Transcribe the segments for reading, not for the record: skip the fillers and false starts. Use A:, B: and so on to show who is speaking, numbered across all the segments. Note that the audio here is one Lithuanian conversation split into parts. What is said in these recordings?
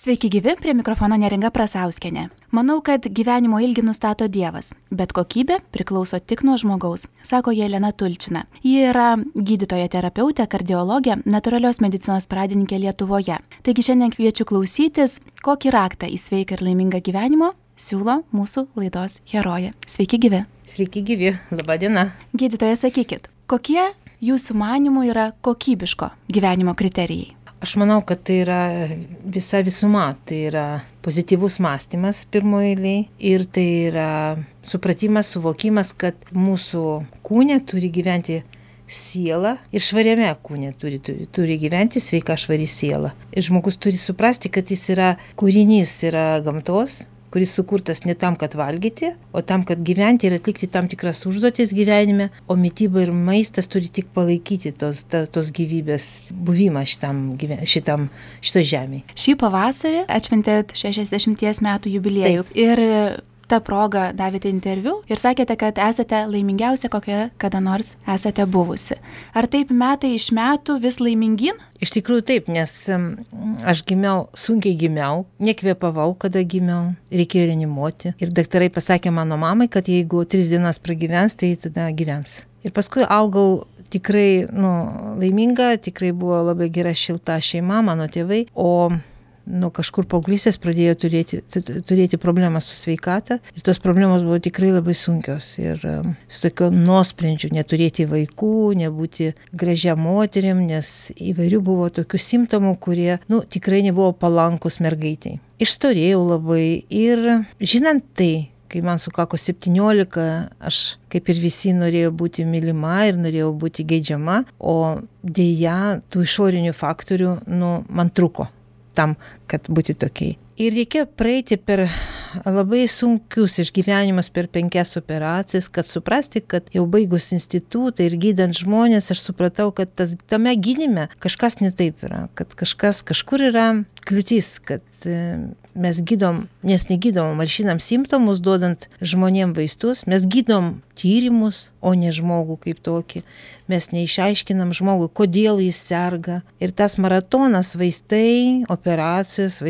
A: Sveiki gyvi, prie mikrofono Neringa Prasauskienė. Manau, kad gyvenimo ilgį nustato Dievas, bet kokybė priklauso tik nuo žmogaus, sako Jelena Tulčina. Ji yra gydytoja terapeutė, kardiologė, natūralios medicinos pradininkė Lietuvoje. Taigi šiandien kviečiu klausytis, kokį raktą į sveiką ir laimingą gyvenimo siūlo mūsų laidos herojė. Sveiki gyvi.
B: Sveiki gyvi, laba diena.
A: Gydytoja, sakykit, kokie jūsų manymų yra kokybiško gyvenimo kriterijai?
B: Aš manau, kad tai yra visa visuma, tai yra pozityvus mąstymas pirmoje eilėje ir tai yra supratimas, suvokimas, kad mūsų kūne turi gyventi siela ir švariame kūne turi gyventi sveika švari siela. Ir žmogus turi suprasti, kad jis yra kūrinys, yra gamtos, kuris sukurtas ne tam, kad valgyti, o tam, kad gyventi ir atlikti tam tikras užduotis gyvenime, o mityba ir maistas turi tik palaikyti tos gyvybės buvimą šito žemėje.
A: Šį pavasarį atšventėt 60 metų jubiliejų. Taip. Ir tą progą davėte interviu ir sakėte, kad esate laimingiausia, kokia kada nors esate buvusi. Ar taip metai iš metų vis laimingin?
B: Iš tikrųjų taip, nes aš sunkiai gimiau, nekvėpavau, kada gimiau, reikėjo reanimuoti. Ir daktarai pasakė mano mamai, kad jeigu 3 dienas pragyvens, tai tada gyvens. Ir paskui augau tikrai laiminga, tikrai buvo labai gera šilta šeima, mano tėvai, o kažkur paauglystės pradėjo turėti problemą su sveikata ir tos problemos buvo tikrai labai sunkios ir su tokio nuosprendžiu neturėti vaikų, nebūti gražia moterim, nes įvairių buvo tokių simptomų, kurie tikrai nebuvo palankus mergaitai. Išstorėjau labai ir žinant tai, kai man sukako 17, aš kaip ir visi norėjau būti mylima ir norėjau būti geidžiama, o deja tų išorinių faktorių man truko tam, kad būti tokiai. Ir reikėjo praeiti per labai sunkius išgyvenimus, per 5 operacijas, kad suprasti, kad jau baigus institutą ir gydant žmonės, aš supratau, kad tame gydyme kažkas ne taip yra, kad kažkur yra kliūtis, kad mes gydom, nes negydom, malšinam simptomus, duodant žmonėm vaistus, mes gydom tyrimus, o ne žmogų kaip tokį. Mes neišaiškinam žmogui, kodėl jis serga. Ir tas maratonas vaistai, operacijos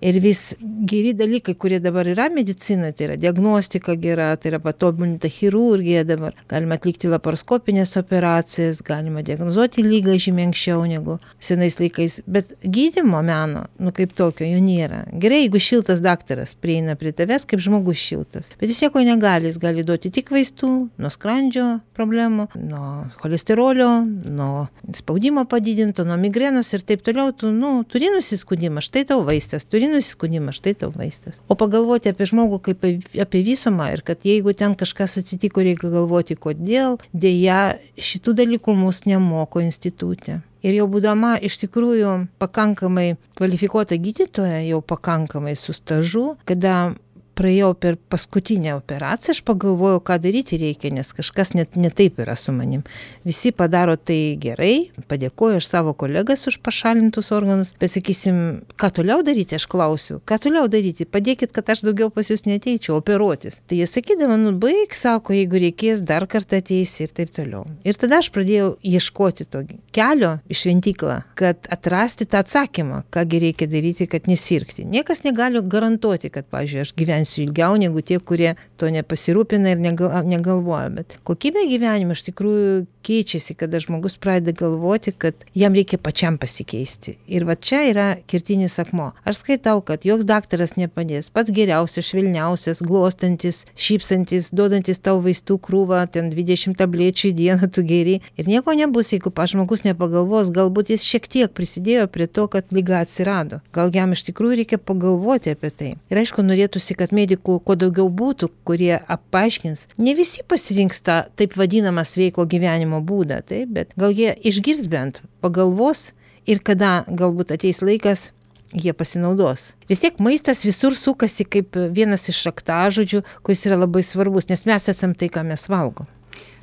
B: ir vis geri dalykai, kurie dabar yra medicinoje, tai yra diagnostika gera, tai yra patobulinta chirurgija dabar. Galima atlikti laparoskopinės operacijas, galima diagnozuoti lygą žymiai anksčiau negu senais laikais. Bet gydymo meno, kaip tokio, jo nėra. Gerai, jeigu šiltas daktaras prieina prie tavęs kaip žmogus šiltas. Bet jis nieko negali, jis gali duoti tik vaistų nuo skrandžio problemų, nuo cholesterolio, nuo spaudimo padidinto, nuo migrenos ir taip toliau. Tu turi nusiskundimą, štai tau vaistas, nusiskundimą, štai tau vaistas. O pagalvoti apie žmogų kaip apie visumą ir kad jeigu ten kažkas atsitiko, reikia galvoti, kodėl, dėja šitų dalykų mus nemoko institute. Ir jau būdama iš tikrųjų pakankamai kvalifikuota gydytoja, jau pakankamai su stažu, kada praėjau per paskutinę operaciją, aš pagalvojau, ką daryti reikia, nes kažkas net ne taip yra su manim. Visi padaro tai gerai, padėkoju aš savo kolegas už pašalintus organus, bet sakysim, ką toliau daryti, aš klausiu, ką toliau daryti, padėkit, kad aš daugiau pas jūs neateičiau operuotis. Tai jie sakydavo, baig, sako, jeigu reikės, dar kartą ateisi ir taip toliau. Ir tada aš pradėjau ieškoti to kelio į šventyklą, kad atrasti tą atsakymą, kągi reikia daryti, kad nesirgti. Niekas negali garantuoti, kad, pavyzdžiui, aš gyvensiu ilgiau negu tie, kurie to nepasirūpina ir negalvoja. Bet kokybė gyvenimo iš tikrųjų keičiasi, kada žmogus pradeda galvoti, kad jam reikia pačiam pasikeisti. Ir va čia yra kertinis akmuo. Aš skaitau, kad joks daktaras nepadės. Pats geriausias, švelniausias, glostantis, šypsantis, duodantis tau vaistų krūvą, ten 20 tablečių į dieną tu geri. Ir nieko nebus, jeigu žmogus nepagalvos, galbūt jis šiek tiek prisidėjo prie to, kad liga atsirado. Gal jam iš tikrųjų reikia pagalvoti apie tai. Ir aišku, norėtųsi, kad medikų kuo daugiau būtų, kurie paaiškins. Ne visi pasirinks tą taip vadinamą sveiko gyvenimo būdą, taip, bet gal jie išgirs bent, pagalvos ir kada galbūt ateis laikas, jie pasinaudos. Vis tiek maistas visur sukasi kaip vienas iš raktažodžių, kuris yra labai svarbus, nes mes esam tai, ką mes valgom.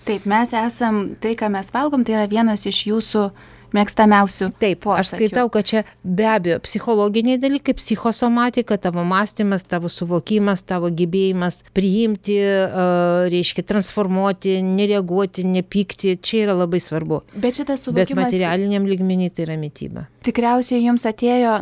A: Taip, mes esam tai, ką mes valgom, tai yra vienas iš jūsų mėgstamiausių
B: Taip,
A: posakių.
B: aš skaitau, kad čia be abejo psichologiniai dalykai, psichosomatika, tavo mąstymas, tavo suvokimas, tavo gebėjimas priimti, reiškia transformuoti, nereaguoti, nepykti, čia yra labai svarbu.
A: Bet šitas
B: Bet
A: suvokimas
B: materialiniam lygmenį tai yra mityba.
A: tikriausiai jums atėjo,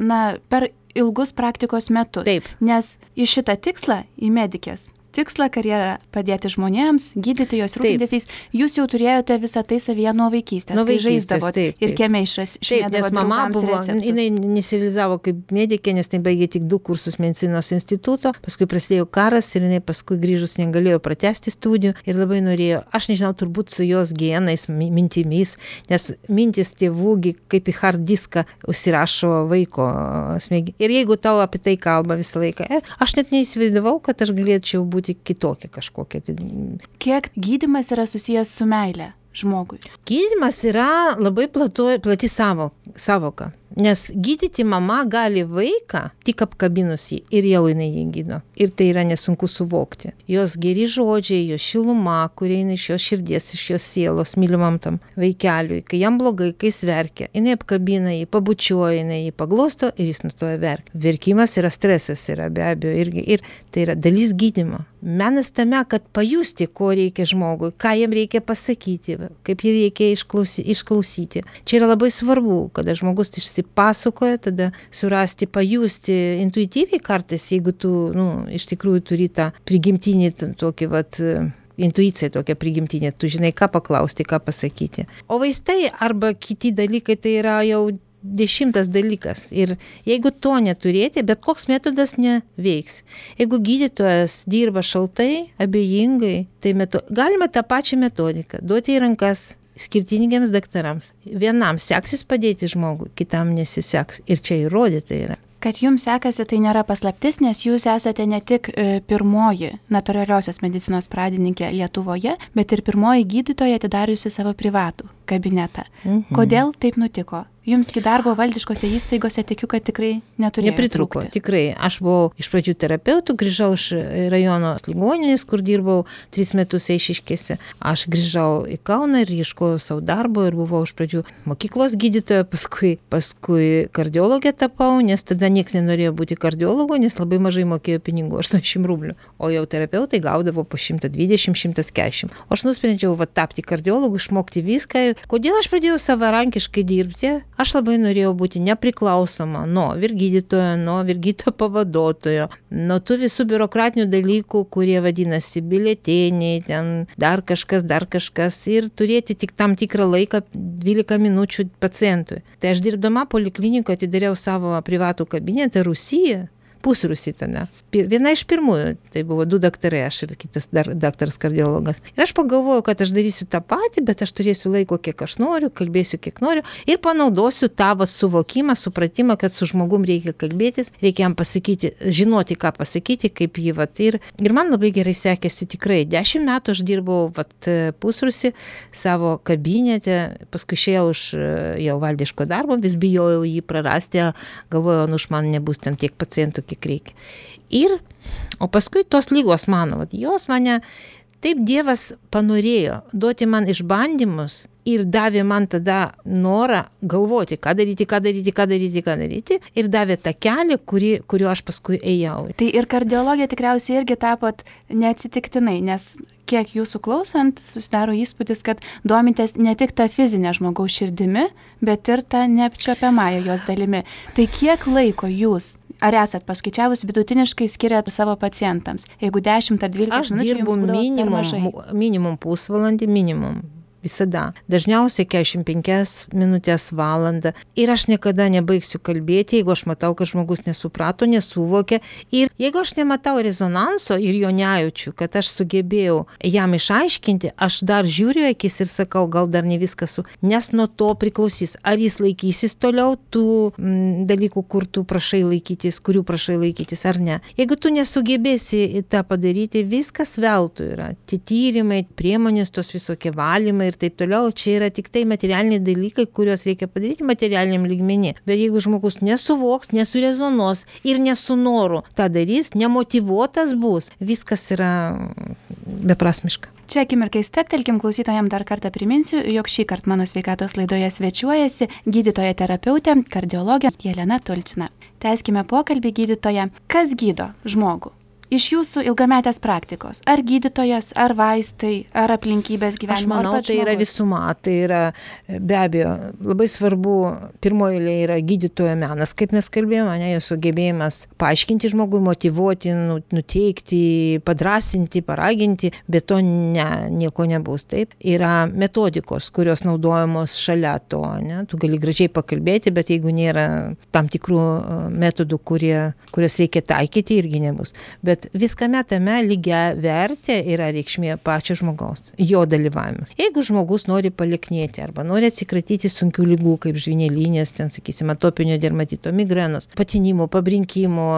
A: per ilgus praktikos metus.
B: Taip.
A: Nes į šitą tikslą, į medikės tikslą, karjerą padėti žmonėms, gydyti jos rūpintis, jūs jau turėjote visą tai savyje nuo vaikystės.
B: Nuo vaikystės,
A: kai žaisdavot
B: taip.
A: ir kieme
B: Taip, nes mama buvo, jinai nesirealizavo kaip medikė, nes tai baigė tik 2 kursus medicinos instituto, paskui prasidėjo karas ir jinai paskui grįžus negalėjo pratęsti studijų ir labai norėjo, aš nežinau, turbūt su jos genais, mintimis, nes mintis tėvų kaip į hard diską užsirašo vaiko smegenį. Ir jeigu tau apie tai kalba visą laiką, aš net neįsivaizdavau, kad aš galėčiau būti kitokia kažkokia.
A: Kiek gydymas yra susijęs su meile žmogui?
B: Gydymas yra labai plati savoka, nes gydyti mama gali vaiką tik apkabinus jį ir jau jinai jį gydo. Ir tai yra nesunku suvokti. Jos geri žodžiai, jos šiluma, kurie eina iš jos širdies, iš jos sielos, mylimam tam vaikeliui, kai jam blogai, kai jis verkia, jinai apkabina jį, pabučiuoja, jinai jį paglosto ir jis nustoja verkti. Verkimas yra stresas, yra be abejo irgi, ir tai yra dalis gydymo. Menas tame, kad pajusti, ko reikia žmogui, ką jam reikia pasakyti, kaip jį reikia išklausyti. Čia yra labai svarbu, kada žmogus išsipasakoja, tada surasti, pajusti intuityviai kartais, jeigu tu, iš tikrųjų turi tą prigimtinį tokį, intuicija tokia prigimtinė, tu žinai, ką paklausti, ką pasakyti. O vaistai arba kiti dalykai tai yra jau 10 dalykas. Ir jeigu to neturėti, bet koks metodas neveiks. Jeigu gydytojas dirba šaltai, abejingai, tai galima tą pačią metodiką duoti į rankas skirtingiems daktarams. Vienam seksis padėti žmogui, kitam nesiseks. Ir čia įrodyta yra.
A: Kad jums sekasi, tai nėra paslaptis, nes jūs esate ne tik pirmoji natūraliosios medicinos pradininkė Lietuvoje, bet ir pirmoji gydytoja atidariusi savo privatų kabinetą. Kodėl taip nutiko? Jumsgi darbo valdiškose įstaigose tikiu, kad tikrai neturėjo
B: Nepritruko,
A: trūkti.
B: tikrai. Aš buvau iš pradžių terapeutų, grįžau iš rajono ligoninės, kur dirbau 3 metus Eišiškėse. Aš grįžau į Kauną ir ieškojau savo darbo ir buvau iš pradžių mokyklos gydytoja, paskui kardiologė tapau, nes tada niekas nenorėjo būti kardiologu, nes labai mažai mokėjo pinigų, 80 rublių. O jau terapeutai gaudavo po 120-140. O aš nusprendžiau tapti kardiologu, išmokti viską. Ir kodėl aš pradėjau savarankiškai dirbti? Aš labai norėjau būti nepriklausoma nuo vyrgydytojo, nuo vyrgydytojo pavaduotojo, nuo tų visų biurokratinių dalykų, kurie vadinasi biletėniai, ten dar kažkas ir turėti tik tam tikrą laiką 12 minučių pacientui. Tai aš dirbdama poliklinikoje atidariau savo privatų kabinetą Rusijoje. Pusrusį tada. Viena iš pirmųjų, tai buvo 2 daktarai, aš ir kitas daktaras kardiologas. Ir aš pagalvojau, kad aš darysiu tą patį, bet aš turėsiu laiko, kiek aš noriu, kalbėsiu, kiek noriu ir panaudosiu tavo suvokimą, supratimą, kad su žmogum reikia kalbėtis, reikia jam pasakyti, žinoti, ką pasakyti, kaip jį ir man labai gerai sekėsi tikrai. 10 metų aš dirbau Pusrusį savo kabinete, paskui išėjau iš jau valdiško darbo, vis bijojau jį prarasti, galvojau, už man nebus ten tiek pacientų, kiek reikia. O paskui tos lygos mano, jos mane, taip Dievas panorėjo duoti man išbandymus ir davė man tada norą galvoti, ką daryti ir davė tą kelią, kuriuo aš paskui ėjau.
A: Tai ir kardiologija tikriausiai irgi tapot neatsitiktinai, nes kiek jūsų klausant, susidaro įspūdis, kad domitės ne tik tą fizinę žmogaus širdimi, bet ir tą neapčiuopiamąją jos dalimi. Tai kiek laiko jūs, ar esat paskaičiavus, vidutiniškai skiriat savo pacientams? Jeigu 10 ar 12 minučių jums būdavo per mažai?
B: Aš dirbu minimum pusvalandį, visada. Dažniausiai 45 minutės, valandą. Ir aš niekada nebaigsiu kalbėti, jeigu aš matau, kad žmogus nesuprato, nesuvokė. Ir jeigu aš nematau rezonanso ir jo nejaučiu, kad aš sugebėjau jam išaiškinti, aš dar žiūriu akis ir sakau, gal dar ne viskas nes nuo to priklausys. Ar jis laikysis toliau tų dalykų, kurių prašai laikytis, ar ne. Jeigu tu nesugebėsi tą padaryti, viskas veltui yra. Tie tyrimai, priemonės, tos visokie valymai ir taip toliau, čia yra tik tai materialiniai dalykai, kuriuos reikia padaryti materialiniam lygmenį. Bet jeigu žmogus nesuvoks, nesurezonuos ir nesunoru tą darys, nemotyvuotas bus, viskas yra beprasmiška.
A: Čia akimirkai steptelkim, klausytojams dar kartą priminsiu, jog šį kartą mano sveikatos laidoje svečiuojasi gydytoja terapeutė, kardiologė Jelena Tulčina. Tęskime pokalbį, gydytoja. Kas gydo žmogų? Iš jūsų ilgametės praktikos, ar gydytojas, ar vaistai, ar aplinkybės gyvenimo?
B: Aš manau, tai yra visuma, tai yra be abejo labai svarbu, pirmoji eilė yra gydytojo menas, kaip mes kalbėjome, ne, jo sugebėjimas paaiškinti žmogui, motyvuoti, nuteikti, padrasinti, paraginti, bet to nieko nebus. Taip, yra metodikos, kurios naudojamos šalia to, ne, tu gali gražiai pakalbėti, bet jeigu nėra tam tikrų metodų, kurios reikia taikyti, irgi nebus. Bet viskame tame lygia vertė yra reikšmė pačio žmogaus, jo dalyvavimas. Jeigu žmogus nori paliknėti arba nori atsikratyti sunkių lygų, kaip žvynelinės, ten, sakysim, atopinio dermatito, migrenos, patinimo, pabrinkimo,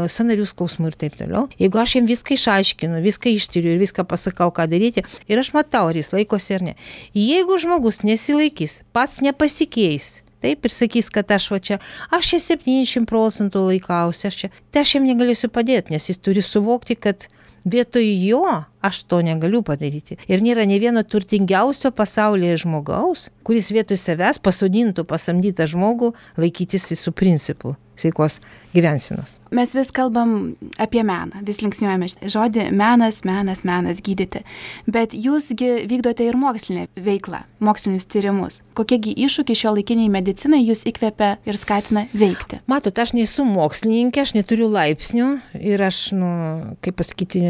B: sąnarių skausmų ir taip toliau. Jeigu aš jam viską išaiškinu, viską ištyriu ir viską pasakau, ką daryti, ir aš matau, ar jis laikosi ar ne. Jeigu žmogus nesilaikys, pats nepasikeis, taip, ir sakys, kad aš 70% laikausi, tai aš jam negalėsiu padėti, nes jis turi suvokti, kad vietoj jo aš to negaliu padaryti. Ir nėra ne vieno turtingiausio pasaulyje žmogaus, kuris vietoj savęs pasodintų pasamdytą žmogų laikytis visų principų sveikos gyvensenos.
A: Mes vis kalbam apie meną, vis linksniuojame žodį menas, gydyti. Bet jūsgi vykdote ir mokslinę veiklą, mokslinius tyrimus. Kokiegi iššūkiai šiuolaikiniai medicinai jūs įkvepia ir skatina veikti?
B: Matot, aš nesu mokslininkė, aš neturiu laipsnių ir aš, kaip pasakyti,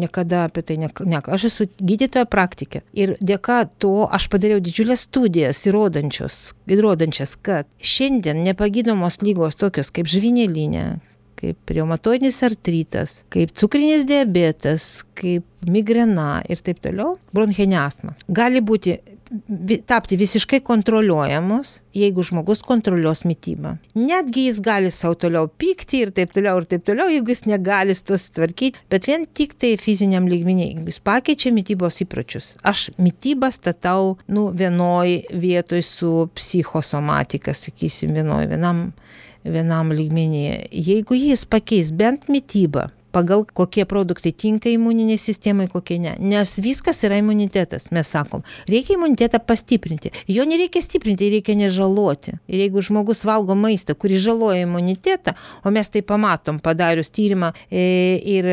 B: niekada apie tai aš esu gydytoja praktikė. Ir dėka to aš padariau didžiulės studijas įrodančias, kad šiandien nepagydomos lygos tokios kaip žvynelinė, kaip reumatoidinis artritas, kaip cukrinis diabetas, kaip migrena ir taip toliau, bronchinė astma, gali tapti visiškai kontroliuojamos, jeigu žmogus kontroliuos mitybą. Netgi jis gali savo toliau pykti ir taip toliau, jeigu jis negali to sutvarkyti, bet vien tik tai fiziniam lygmenį, jeigu jis pakeičia mitybos įpročius. Aš mitybą statau vienoj vietoj su psichosomatika, sakysim, vienam lygmenyje. Jeigu jis pakeis bent mitybą, pagal kokie produktai tinka imuniniai sistemai, kokie ne. Nes viskas yra imunitetas, mes sakom. Reikia imunitetą pastiprinti. Jo nereikia stiprinti, reikia nežaloti. Ir jeigu žmogus valgo maistą, kuris žaloja imunitetą, o mes tai pamatom, padarius tyrimą ir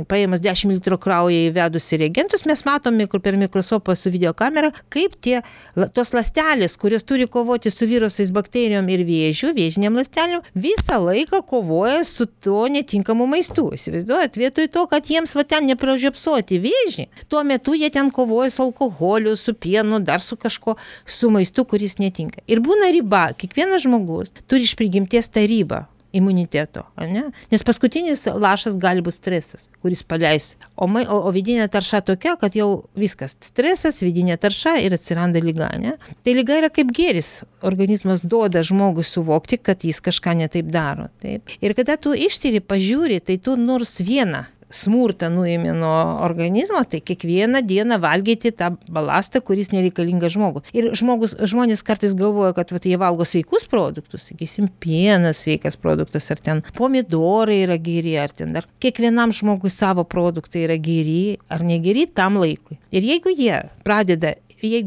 B: paėmus 10 litrų kraują įvedus į reagentus, mes matom per mikroskopą su videokamera, kaip tos ląstelės, kurios turi kovoti su virusais, bakterijom ir vėžiniam ląstelėm, visą laiką kovoja su to netinkamu maistu. Įsivaizduojat, vietoj to, kad jiems ten nepražiopsoti vėžį, tuo metu jie ten kovoja su alkoholiu, su pienu, dar su kažko, su maistu, kuris netinka. Ir būna riba, kiekvienas žmogus turi iš prigimties tą ribą imuniteto, ne? Nes paskutinis lašas gali būti stresas, kuris paleis. O vidinė tarša tokia, kad jau viskas, stresas, vidinė tarša ir atsiranda liga, ne? Tai liga yra kaip gėris. Organizmas duoda žmogui suvokti, kad jis kažką netaip daro. Taip? Ir kada tu ištyri, pažiūri, tai tu nors vieną smurtą nuėmė nuo organizmo, tai kiekvieną dieną valgyti tą balastą, kuris nereikalingas žmogui. Ir žmonės kartais galvoja, kad jie valgo sveikus produktus, sakysim, pienas sveikas produktas, ar ten pomidorai yra geri, ar ten dar kiekvienam žmogui savo produktai yra geri ar negeri tam laikui. Ir jeigu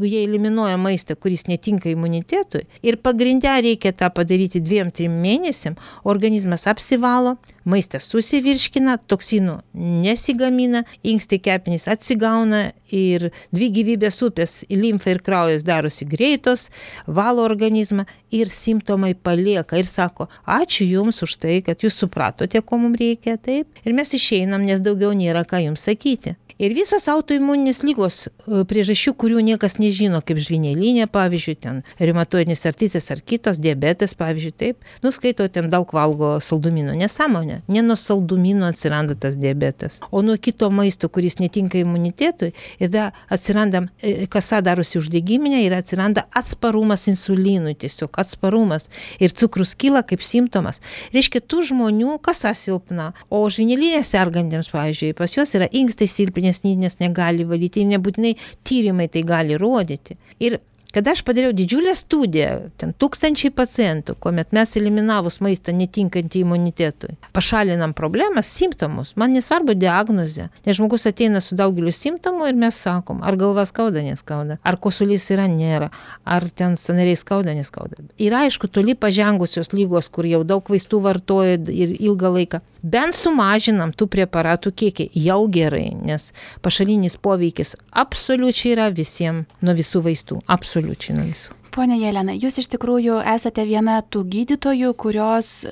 B: jie eliminuoja maistą, kuris netinka imunitetui, ir pagrindę reikia tą padaryti 2-3 mėnesiam, organizmas apsivalo, maistas susivirškina, toksinų nesigamina, inkstai kepenys atsigauna ir 2 gyvybės upės, limfa ir kraujas darosi greitos, valo organizmą ir simptomai palieka ir sako, ačiū jums už tai, kad jūs supratote, ko mums reikia, taip, ir mes išeinam, nes daugiau nėra ką jums sakyti. Ir visos autoimuninės lygos priežasčių, kurių niekas nežino, kaip žvynelinė, pavyzdžiui, ten reumatoidinis artritas ar kitos, diabetas, pavyzdžiui, taip, skaito, ten daug valgo saldumynų. Nesąmonė, ne nuo saldumynų atsiranda tas diabetas, o nuo kito maisto, kuris netinka imunitetui, ir da atsiranda, kasa darosi uždegiminė ir atsiranda atsparumas insulinui, tiesiog atsparumas. Ir cukrus kyla kaip simptomas. Reiškia, tų žmonių kasa silpna, o žvynelinė sergantiems, pavyzdžiui, pas juos yra inkstai silpni, nes negali valyti, nebūtinai tyrimai tai gali rodyti. Ir Kada aš padariau didžiulę studiją, ten 1000 pacientų, kuomet mes eliminavus maistą netinkantį imunitetui, pašalinam problemas, simptomus, man nesvarbu diagnozė, nes žmogus ateina su daugeliu simptomų ir mes sakom, ar galva skauda, neskauda, ar kosulys yra, nėra, ar ten sąnariai skauda, neskauda. Ir aišku, toli pažengusios lygos, kur jau daug vaistų vartoja ir ilgą laiką, bent sumažinam tų preparatų kiekį, jau gerai, nes pašalinis poveikis absoliučiai yra visiems nuo visų vaistų, absoliučiai nuo visų.
A: Pone Jelena, jūs iš tikrųjų esate viena tų gydytojų, kurios,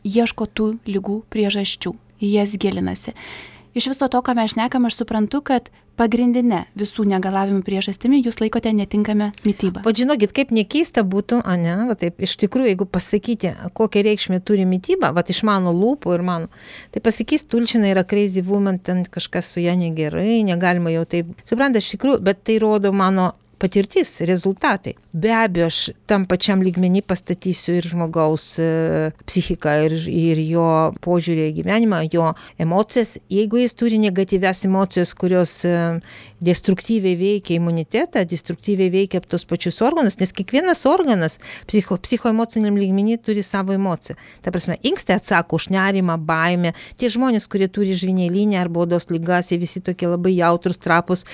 A: ieško tų ligų priežasčių, į jas gilinasi. Iš viso to, ką mes šnekam, aš suprantu, kad pagrindinė visų negalavimų priežastimi jūs laikote netinkamą mitybą.
B: O žinokit, kaip nekeista būtų, taip, iš tikrųjų, jeigu pasakyti, kokią reikšmę turi mityba, iš mano lūpų ir mano, tai pasakys, Tulčina yra crazy woman, ten kažkas su ja negerai, negalima jau taip. Supranta, iš tikrųjų, bet tai rodo mano patirtis, rezultatai. Be abejo, aš tam pačiam lygmenį pastatysiu ir žmogaus psichiką, ir jo požiūrį į gyvenimą, jo emocijas. Jeigu jis turi negatyvias emocijas, kurios destruktyviai veikia imunitetą, destruktyviai veikia tos pačius organus, nes kiekvienas organas psichoemociniam lygmenį turi savo emociją. Ta prasme, inkstai atsako už nerimą, baimę. Tie žmonės, kurie turi žvynelinę arba odos ligas, jie visi tokie labai jautrus, trapus.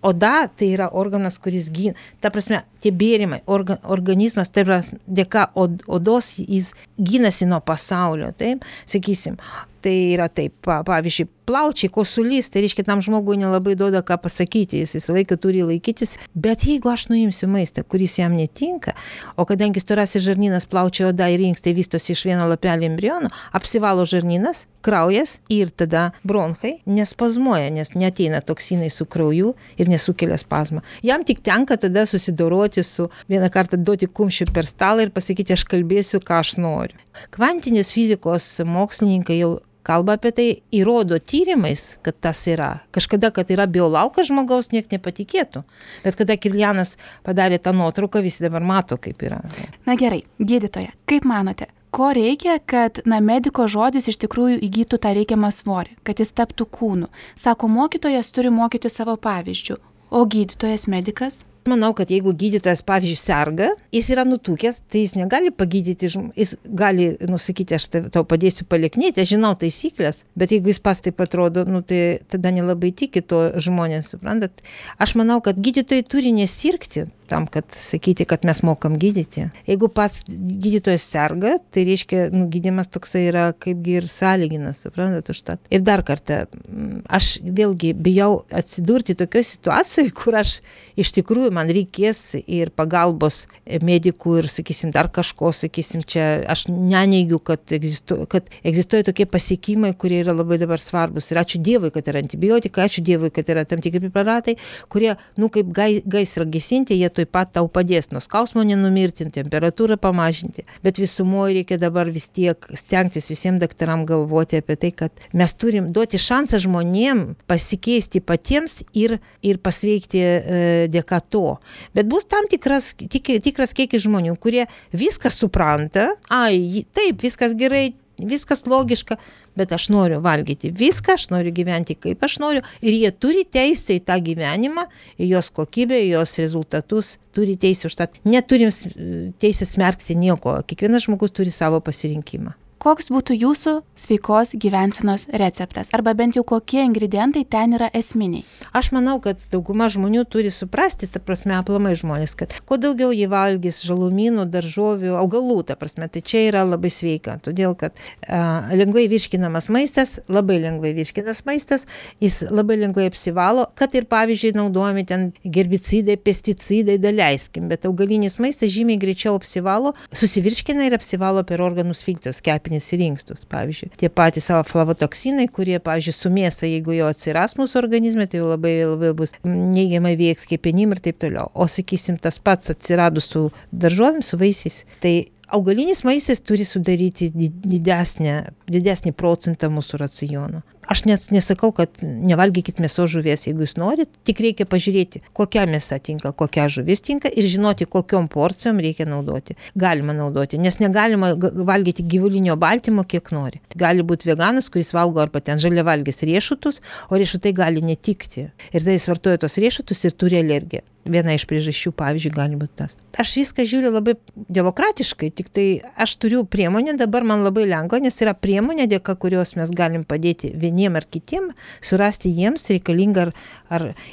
B: Oda tai yra organas, kuris gina. Ta prasme, tie bėrimai, organizmas, tai dėka odos jis gynasi nuo pasaulio, taip, sakysim. Tai yra taip, pavyzdžiui, plaučiai, kosulys, tai reiškia, tam žmogui nelabai duoda ką pasakyti, jis visą laiką turi laikytis, bet jeigu aš nuimsiu maistą, kuris jam netinka, o kadangi storasis žarnynas, plaučiai, oda ir inkstai vystosi iš vieno lapelio embriono, apsivalo žarnynas, kraujas ir tada bronchai nespazmuoja, nes neateina toksinai su krauju ir nesukelia spazmą. Jam tik tenka tada susidoroti su vieną kartą duoti kumščių per stalą ir pasakyti, aš kalbėsiu, ką aš noriu. Kvantinės fizikos mokslininkai jau kalba apie tai, įrodo tyrimais, kad tas yra. Kažkada, kad yra biolaukas žmogaus, nieks nepatikėtų. Bet kada Kirlianas padarė tą nuotrauką, visi dabar mato, kaip yra.
A: Na gerai, gydytoja, kaip manote, ko reikia, kad mediko žodis iš tikrųjų įgytų tą reikiamą svorį, kad jis taptų kūnu? Sako, mokytojas turi mokyti savo pavyzdžių, o gydytojas medikas?
B: Manau, kad jeigu gydytojas, pavyzdžiui, serga, jis yra nutukęs, tai jis negali pagydyti, jis gali nusakyti, aš tau padėsiu paliknėti, aš žinau taisyklės, bet jeigu jis pas taip atrodo, tai tada nelabai tiki to žmonės, suprantat. Aš manau, kad gydytojai turi nesirgti tam, kad sakyti, kad mes mokam gydyti. Jeigu pas gydytojas serga, tai reiškia, gydymas toksai yra kaipgi ir sąlyginas, suprantat, užtat. Ir dar kartą, aš vėlgi bijau atsidurti tokioje situacijoje, kur aš iš tikrųjų man reikės ir pagalbos medikų ir, sakysim, dar kažko, sakysim, čia aš neneigiu, kad egzistuoja tokie pasiekimai, kurie yra labai dabar svarbus. Ir ačiū Dievui, kad yra antibiotikai, ačiū Dievui, kad yra tam tikri preparatai, kurie, kaip gaisrą gesinti, jie taip pat tau padės nuo skausmo nenumirti, temperatūrą pamažinti. Bet visumoje reikia dabar vis tiek stengtis visiems daktaram galvoti apie tai, kad mes turim duoti šansą žmonėm pasikeisti patiems ir pasveikti dėka to. Bet bus tam tikras kiekis žmonių, kurie viską supranta, taip, viskas gerai, viskas logiška, bet aš noriu valgyti viską, aš noriu gyventi kaip aš noriu ir jie turi teisę į tą gyvenimą, į jos kokybę, į jos rezultatus, turi teisę už tą. Neturim teisę smerkti nieko, kiekvienas žmogus turi savo pasirinkimą.
A: Koks būtų jūsų sveikos gyvensenos receptas? Arba bent jau kokie ingredientai ten yra esminiai?
B: Aš manau, kad dauguma žmonių turi suprasti, ta prasme, aplamai žmonės, kad kuo daugiau jie valgys žalumynų, daržovių, augalų, ta prasme, tai čia yra labai sveika. Todėl, kad lengvai virškinamas maistas, labai lengvai virškinas maistas, jis labai lengvai apsivalo, kad ir, pavyzdžiui, naudojami ten herbicidai, pesticidai, daleiskim, bet augalinis maistas žymiai greičiau apsivalo, susivirškina ir apsivalo per organus filtrus, kepenis ir inkstus, pavyzdžiui. Tie patys savo flavotoksinai, kurie, pavyzdžiui, su mėsa, jeigu jo atsiras mūsų organizme, tai jau labai bus neigiamai veiks kepenim ir taip toliau. O, sakysim, tas pats atsiradus su daržovėm, su vaisiais, tai augalinis maistas turi sudaryti didesnį procentą mūsų raciono. Aš nesakau, kad nevalgykit mėsos žuvies, jeigu jūs norit, tik reikia pažiūrėti, kokia mėsa tinka, kokia žuvis tinka ir žinoti, kokiom porcijom reikia naudoti. Galima naudoti, nes negalima valgyti gyvulinio baltymo, kiek nori. Gali būti veganas, kuris valgo arba ten žaliavalgis riešutus, o riešutai gali netikti. Ir tai jis vartoja tos riešutus ir turi alergiją. Viena iš priežasčių, pavyzdžiui, gali būti tas. Aš viską žiūriu labai demokratiškai, tik tai aš turiu priemonę, dabar man labai lengva, nes yra priemonė, dėka kurios mes galim padėti vieniem ar kitiem, surasti jiems reikalingą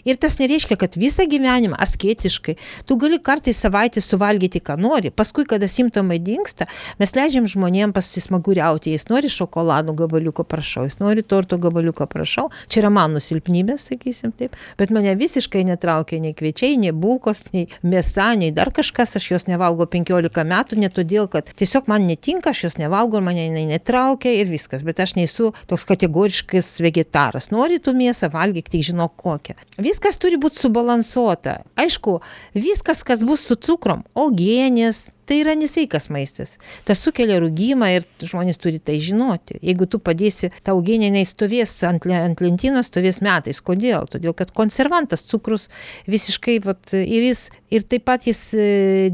B: Ir tas nereiškia, kad visą gyvenimą asketiškai. Tu gali kartais savaitę suvalgyti, ką nori. Paskui, kada simptomai dingsta, mes leidžiam žmonėms pasismaguriauti. Jis nori šokoladų gabaliuko, prašau. Jis nori torto gabaliuko, prašau. Čia yra mano silpnybė, sakysim taip. Bet mane visiškai netraukia nei kviečiai, nei bulkos, nei mėsa, nei dar kažkas. Aš jos nevalgo 15 metų, ne todėl, kad tiesiog man netinka, aš jos nevalgo, mane netraukia ir viskas. Bet aš nesu toks kategoriškas vegetaras. Nori tu mėsą, valgyk, tik žinok kokią. Viskas turi būti subalansuota. Aišku, viskas, kas bus su cukrom, uogienės, tai yra nesveikas maistas. Tas sukelia rūgimą ir žmonės turi tai žinoti. Jeigu tu padėsi, ta uogienė stovės ant lentynos, stovės metais. Kodėl? Todėl, kad konservantas cukrus visiškai, ir taip pat jis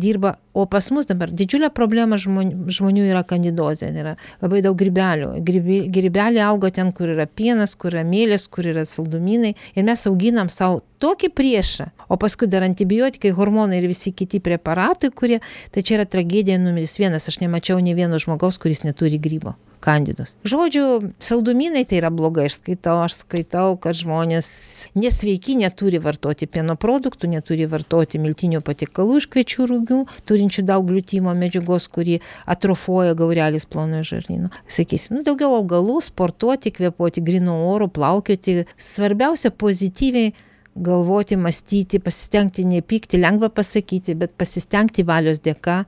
B: dirba. O pas mus dabar didžiulė problema žmonių yra kandidozė. Yra labai daug grybelių. Grybeliai auga ten, kur yra pienas, kur yra mėlis, kur yra saldumynai. Ir mes auginam savo tokį priešą. O paskui dar antibiotikai, hormonai ir visi kiti preparatai, kurie, tai čia yra tragedija numeris 1. Aš nemačiau nei vieno žmogaus, kuris neturi grybo. Kandidos. Žodžiu, saldumynai tai yra blogai. Aš skaitau, kad žmonės nesveiki neturi vartoti pieno produktų, neturi vartoti miltinių patiekalų iš kviečių rūgių, turinčių daug gliutimo medžiagos, kuri atrofuoja gaurelis plonojo žarnyno. Sakysim, daugiau augalų, sportuoti, kvėpuoti grynu oru, plaukioti. Svarbiausia pozityviai galvoti, mąstyti, pasistengti nepykti, lengva pasakyti, bet pasistengti valios dėka,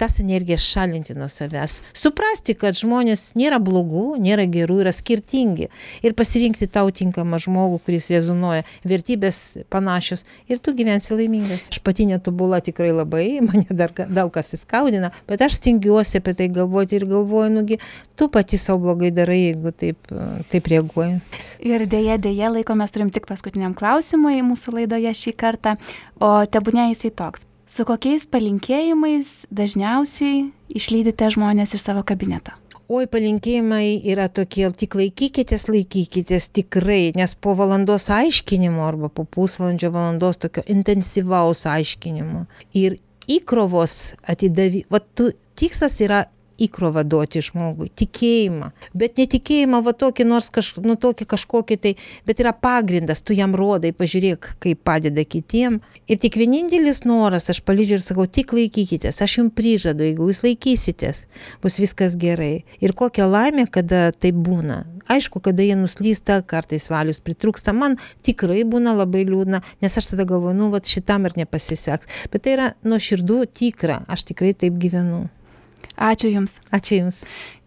B: tas energijas šalinti nuo savęs. Suprasti, kad žmonės nėra blogų, nėra gerų, yra skirtingi. Ir pasirinkti tau tinkamą žmogų, kuris rezonuoja, vertybės panašios ir tu gyvensi laimingas. Aš pati netobula tikrai labai, mane dar daug kas įskaudina, bet aš stengiuosi apie tai galvoti ir galvoju, nugi, tu pati savo blogai darai, jeigu taip reaguoji.
A: Ir dėja, laiko mes turim tik paskutiniam klausimui mūsų laidoje šį kartą, o tebūnė jisai toks. Su kokiais palinkėjimais dažniausiai išlydite žmonės iš savo kabineto?
B: Oi, palinkėjimai yra tokie, tik laikykitės tikrai, nes po valandos aiškinimo arba po pusvalandžio valandos tokio intensyvaus aiškinimo ir įkrovos tikslas yra įkrovą duoti žmogui, tikėjimą, bet netikėjimą tokį nors tokį kažkokį tai, bet yra pagrindas, tu jam rodai, pažiūrėk, kaip padeda kitiem. Ir tik vienintelis noras, aš palydžiu ir sakau, tik laikykitės, aš jums prižadu, jeigu jūs laikysitės, bus viskas gerai. Ir kokia laimė, kada tai būna. Aišku, kada jie nuslysta, kartais valius pritrūksta, man tikrai būna labai liūdna, nes aš tada galvoju, šitam ir nepasiseks. Bet tai yra nuoširdų tikra, aš tikrai taip gyvenu.
A: Ačiū Jums.
B: Ačiū Jums.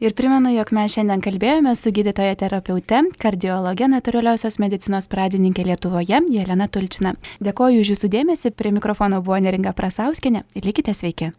A: Ir primenu, jog mes šiandien kalbėjome su gydytoja terapeute, kardiologe, natūraliosios medicinos pradininkė Lietuvoje, Jelena Tulčina. Dėkoju už Jūsų dėmesį, prie mikrofono buvo Neringa Prasauskienė ir likite sveiki.